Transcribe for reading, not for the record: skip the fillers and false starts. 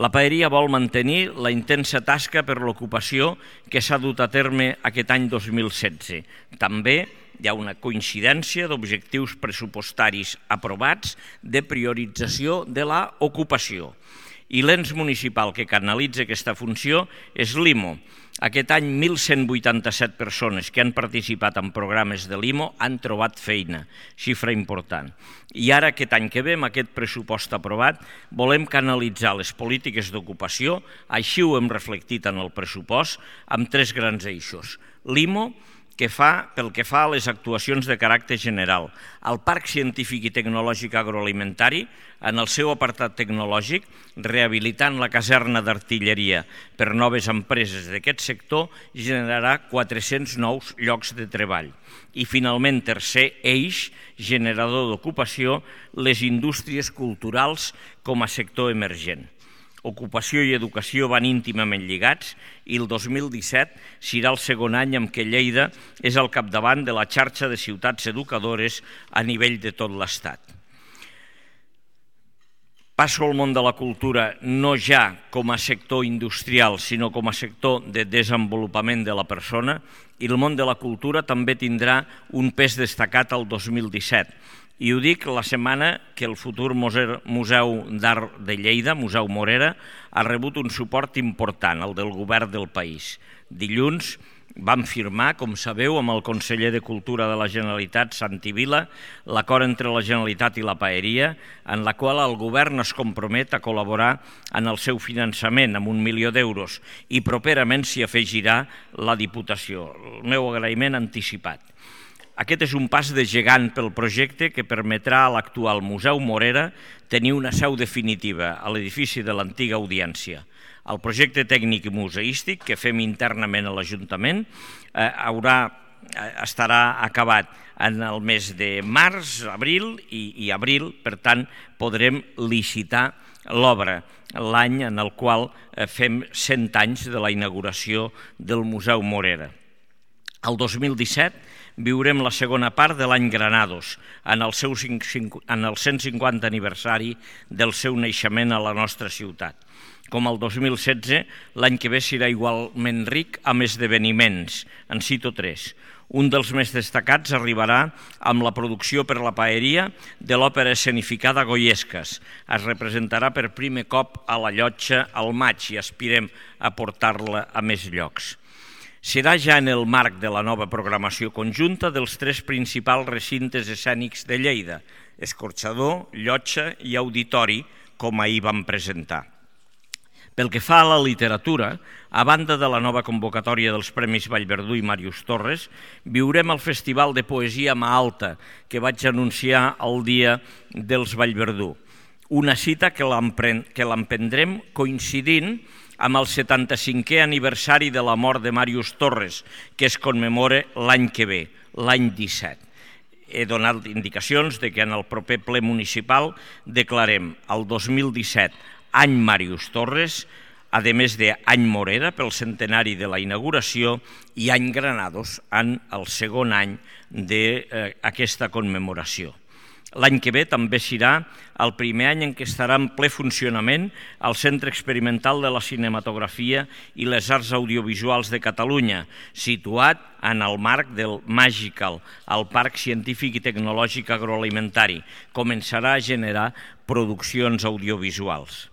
La paeria vol mantenir la intensa tasca per l'ocupació que s'ha dut a terme aquest any 2016. També hi ha una coincidència d'objectius pressupostaris aprovats de priorització de l'ocupació. I l'ens municipal que canalitza aquesta funció és l'IMO. Aquest any, 1.187 persones que han participat en programes de l'IMO han trobat feina, xifra important. I ara, aquest any que ve, amb aquest pressupost aprovat, volem canalitzar les polítiques d'ocupació, així ho hem reflectit en el pressupost, amb 3 grans eixos. L'IMO, pel que fa a les actuacions de caràcter general, el Parc Científic i Tecnològic Agroalimentari, en el seu apartat tecnològic, rehabilitant la caserna d'artilleria per noves empreses d'aquest sector, generarà 400 nous llocs de treball. I finalment, tercer eix, generador d'ocupació, les indústries culturals com a sector emergent. Ocupació i educació van íntimament lligats i el 2017 serà el segon any en què Lleida és al capdavant de la xarxa de ciutats educadores a nivell de tot l'Estat. Passo al món de la cultura no ja com a sector industrial, sinó com a sector de desenvolupament de la persona, i el món de la cultura també tindrà un pes destacat al 2017. I ho dic la setmana que el futur Museu d'Art de Lleida, Museu Morera, ha rebut un suport important, el del govern del país. Dilluns vam firmar, com sabeu, amb el conseller de Cultura de la Generalitat, Santi Vila, l'acord entre la Generalitat i la paeria, en la qual el govern es compromet a col·laborar en el seu finançament amb 1 milió d'euros i properament s'hi afegirà la Diputació. El meu agraïment anticipat. Aquest és un pas de gegant pel projecte que permetrà a l'actual Museu Morera tenir una seu definitiva a l'edifici de l'antiga Audiència. El projecte tècnic i museístic que fem internament a l'Ajuntament estarà acabat en el mes de març, abril i abril, per tant podrem licitar l'obra l'any en el qual fem 100 anys de la inauguració del Museu Morera. El 2017 viurem la segona part de l'any Granados, en el 150 aniversari del seu naixement a la nostra ciutat. Com el 2016, l'any que ve serà igualment ric amb esdeveniments, en cito 3. Un dels més destacats arribarà amb la producció per la paeria de l'òpera escenificada Goiescas. Es representarà per primer cop a la Llotja al maig i aspirem a portar-la a més llocs. Serà ja en el marc de la nova programació conjunta dels 3 principals recintes escènics de Lleida, Escorxador, Llotja i Auditori, com ahir vam presentar. Pel que fa a la literatura, a banda de la nova convocatòria dels Premis Vallverdú i Màrius Torres, viurem el Festival de Poesia Mà Alta, que vaig anunciar el dia dels Vallverdú. Una cita que l'emprendrem coincidint amb el 75è aniversari de la mort de Màrius Torres, que es commemora l'any que ve, l'any 17. He donat indicacions que en el proper ple municipal declarem el 2017 any Màrius Torres, a més d'any Morera pel centenari de la inauguració i any Granados en el segon any d'aquesta commemoració. L'any que ve també serà el primer any en què estarà en ple funcionament el Centre Experimental de la Cinematografia i les Arts Audiovisuals de Catalunya, situat en el marc del Magical, el Parc Científic i Tecnològic Agroalimentari. Començarà a generar produccions audiovisuals.